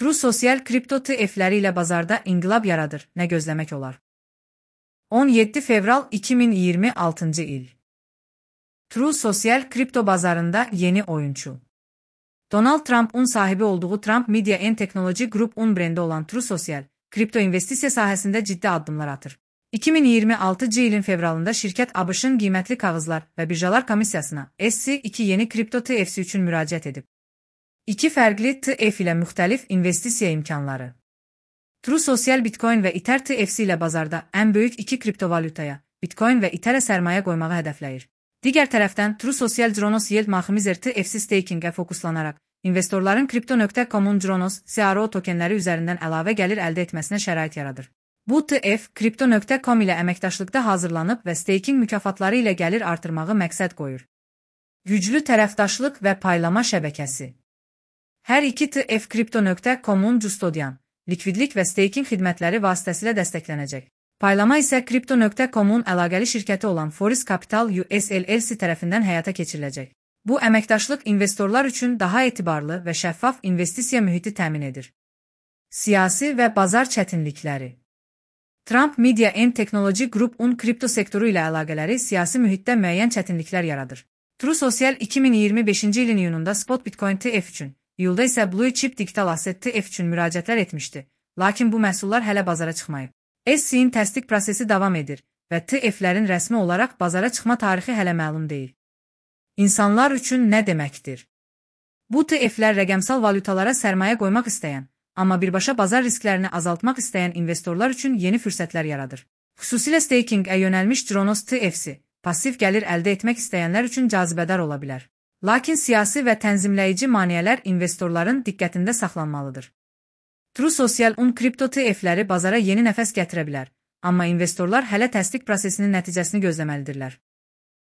True Social kripto ETF-ləri ilə bazarda inqilab yaradır, nə gözləmək olar? 17 fevral 2026 il. True Social kripto bazarında yeni oyuncu. Donald Trump'un sahibi olduğu Trump Media and Technology Group-un brendi olan True Social, kripto investisiya sahəsində ciddi addımlar atır. 2026 ilin fevralında şirkət ABŞ-ın qiymətli kağızlar və birjalar komissiyasına SEC2 yeni kripto ETF'si üçün müraciət edib. İki fərqli ETF ilə müxtəlif investisiya imkanları. True Social Bitcoin və Ether ETF'si ilə bazarda ən böyük iki kriptovalyutaya, Bitcoin və Ether'ə sərmayə qoymağı hədəfləyir. Digər tərəfdən True Social Cronos Yield Maximizer ETF'si stakingə fokuslanaraq, investorların Crypto.com'un Cronos CRO tokenləri üzərindən əlavə gəlir əldə etməsinə şərait yaradır. Bu ETF Crypto.com ilə əməkdaşlıqda hazırlanıb və staking mükafatları ilə gəlir artırmağı məqsəd qoyur. Güclü tərəfdaşlıq və paylama şəbəkəsi. Hər iki ETF Crypto.com'un custodian, likvidlik və staking xidmətləri vasitəsilə dəstəklənəcək. Paylama isə Crypto.com'un əlaqəli şirkəti olan Forest Capital US LLC tərəfindən həyata keçiriləcək. Bu əməkdaşlıq investorlar üçün daha etibarlı və şəffaf investisiya mühiti təmin edir. Siyasi və bazar çətinlikləri. Trump Media and Technology Group-un kripto sektoru ilə əlaqələri siyasi mühitdə müəyyən çətinliklər yaradır. True Social 2025-ci ilin iyununda Spot Bitcoin ETF üçün, iyulda isə Blue Chip Digital Asset ETF üçün müraciətlər etmişdi, lakin bu məhsullar hələ bazara çıxmayıb. SEC-in təsdiq prosesi davam edir və ETF-lərin rəsmi olaraq bazara çıxma tarixi hələ məlum deyil. İnsanlar üçün nə deməkdir? Bu ETF-lər rəqəmsal valyutalara sərmayə qoymaq istəyən, amma birbaşa bazar risklərini azaltmaq istəyən investorlar üçün yeni fürsətlər yaradır. Xüsusilə stakingə yönəlmiş Cronos ETF'si, pasiv gəlir əldə etmək istəyənlər üçün cazibədar ola bilər. Lakin siyasi və tənzimləyici maneələr investorların diqqətində saxlanmalıdır. True Social-un kripto ETF-ləri bazara yeni nəfəs gətirə bilər, amma investorlar hələ təsdiq prosesinin nəticəsini gözləməlidirlər.